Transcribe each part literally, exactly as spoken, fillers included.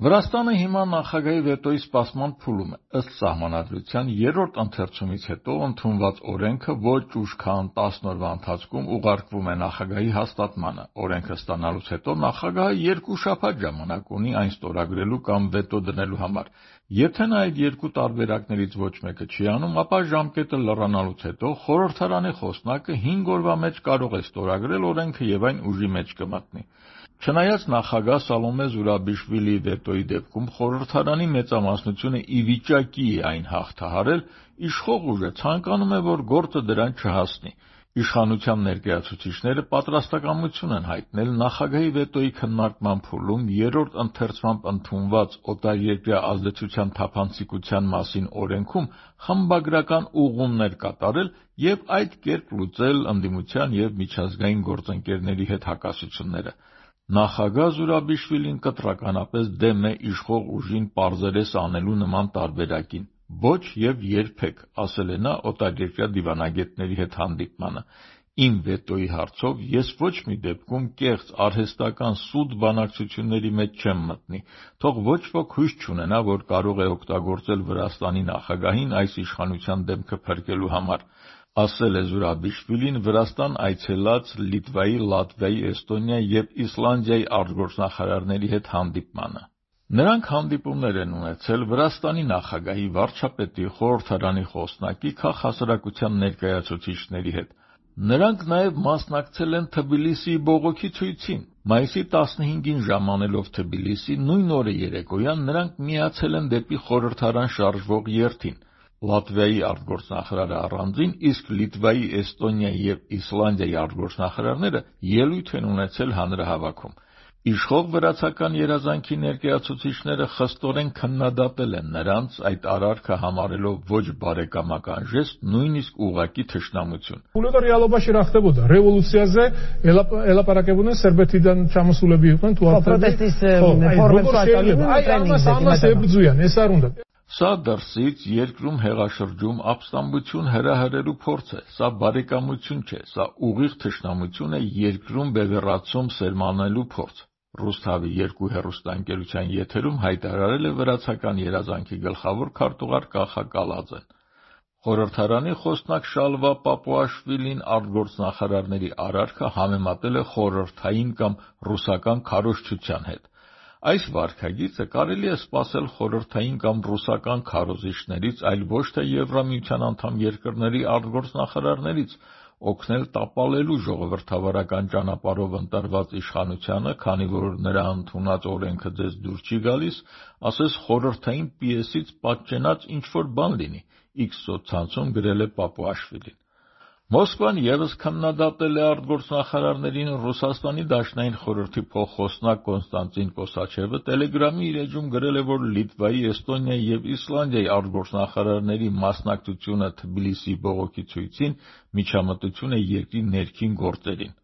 Վրաստանը հիմա նախագահի վետոյի սպասման փուլում է։ Ըստ Սահմանադրության երրորդ ընթերցումից հետո ընդունված օրենքը ոչ ուշ քան տասն օրվա ընթացքում ուղարկվում է նախագահի հաստատմանը։ Օրենքը ստանալուց հետո նախագահը երկու շաբաթ ժամանակ ունի այն ստորագրելու կամ վետո դնելու համար։ Եթե նա այդ երկու տարբերակներից ոչ մեկը չի անում, ապա ժամկետը լռանալուց հետո խորհրդարանի խոսնակը հինգ օրվա մեջ կարող է ստորագրել օրենքը և այն ուժի մեջ կմտնի։ Չնայած նախագահ Սալոմե Զուրաբիշվիլիի վետոյի դեպքում խորհրդարանի մեծամասնությունը ի վիճակի է այն հաղթահարել, իշխող ուժը ցանկանում է, որ գործը դրան չհասնի։ Իշխանության ներկայացուցիչները պատրաստակամություն են հայտնել նախագահի վետոյի քննարկման փուլում երրորդ ընթերցմամբ ընդունված օտարերկրյա ազդեցության թափանցիկության մասին օրենքում խմբագրական ուղղումներ կատարել և այդ կերպ լուծել ընդդիմության և միջազգային գործընկերների հետ հակասությունները։ Նախագահ Զուրաբիշվիլին կտրականապես դեմ է իշխող ուժին պարզերես անելու նման տարբերակին։ Ոչ և երբեք, ասել է նա օտարերկրյա դիվանագետների հետ հանդիպմանը։ Իմ վետոյի հարցով ես ոչ մի դեպքում կեղծ արհեստական սուտ բանակցությունների մեջ չեմ մտնի։ Թող ոչ ոք հույս չունենա, որ կարող է օգտագործել Վրաստանի նախագահին այս իշխանության դեմքը փրկելու համար, ասել է Զուրաբիշվիլին Վրաստան այցելած Լիտվայի, Լատվիայի, Էստոնիայի և Իսլանդիայի արտգործնախարարների հետ հանդիպմանը։ Նրանք հանդիպումներ են ունեցել Վրաստանի նախագահի, վարչապետի, խորհրդարանի խոսնակի, քաղաքասարակության ներկայացուցիչների հետ։ Նրանք նաև մասնակցել են Թբիլիսիի բողոքի ցույցին։ Մայիսի տասնհինգին ժամանելով Թբիլիսի, նույն օրը երեկոյան նրանք միացել են դեպի խորհրդարան շարժվող երթին։ Լատվիայի արտգործնախարարը առանձին, իսկ Լիտվայի, Էստոնիայի և Իսլանդիայի արտգործնախարարները ելույթ են ունեցել հանրահավաքում։ Իշխող վրացական երազանքի ներկայացուցիչները խստորեն քննադատել են նրանց այդ արարքը համարելով ոչ բարեկամական ժեստ, նույնիսկ ուղղակի թշնամություն։ Ուլեդա реалობა շրախտեբոդա ռևոլյուցիაზე ելապարակებուն են սերբეთიდან չամասուլები իყვեն თუ ապրետիսը Սա դրսից երկրում հեղաշրջում ապստամբություն հրահրելու փորձ է, սա բարեկամություն չէ, սա ուղիղ թշնամություն է երկրում բևեռացում սերմանելու փորձ։ Ռուսթավի երկու հեռուստաընկերության եթերում հայտարարել է վրացական երազանքի գլխավոր քարտուղար Կախա Կալաձեն։ Խորհրդարանի խոսնակ Շալվա Պապուաշվիլին արտգործնախարարների արարքը համեմատել է խորհրդային կամ ռուսական քարոզչության հետ։ Այս վարքագիծը կարելի է սպասել խորհրդային կամ ռուսական քարոզիչներից, այլ ոչ թե Եվրամիության անդամ երկրների արտգործնախարարներից, օգնել տապալելու ժողովրդավարական ճանապարհով ընտրված իշխանությանը, քանի որ նրա ընդունած օրենքը ձեզ դուր չի գալիս, ասես խորհրդային պիեսից պատճենած ինչ-որ բան լինի, X սոցցանցում գրել է Պապուաշվիլին։ Մոսկվան ևս քննադատել է արտգործնախարարներին։ Ռուսաստանի Դաշնային խորհրդի փոխխոսնակ Կոնստանտին Կոսաչևը Տելեգրամի իր էջում գրել է, որ Լիտվայի, Էստոնիայի և Իսլանդիայի արտգործնախարարների մասնակցությունը Թբիլիսիի բողոքի ցույցին միջամտություն է երկրի ներքին գործերին։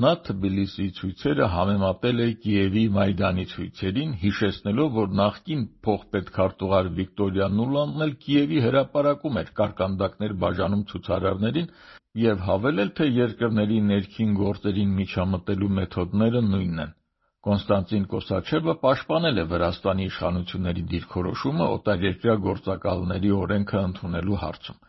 Նա Թբիլիսիի ցույցերը համեմատել է Կիևի Մայդանի ցույցերին, հիշեցնելով, որ նախկին փոխպետքարտուղար Վիկտորիա Նուլանդն էլ Կիևի հրապարակում էր կարկանդակներ բաժանում ցուցարարներին և հավելել, թե երկրների ներքին գործերին միջամտելու մեթոդները նույնն են։ Կոնստանտին Կոսաչևը պաշտպանել է Վրաստանի իշխանությունների դիրքորոշումը օտարերկրյա գործակալների օրենքը ընդունելու հարցում։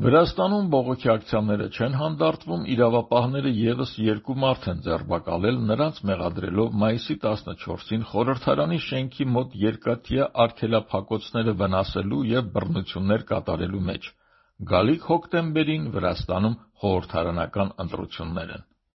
Վրաստանում բողոքի ակցիաները չեն հանդարտվում, իրավապահները ևս երկու մարդ են ձերբակալել, նրանց մեղադրելով մայիսի տասնչորսին խորհրդարանի շենքի մոտ երկաթյա արգելափակոցները վնասելու և բռնություններ կատարելու մեջ։ Գալիք հոկտեմբերին Վրաստանում խորհրդարանական ընտրություններ են։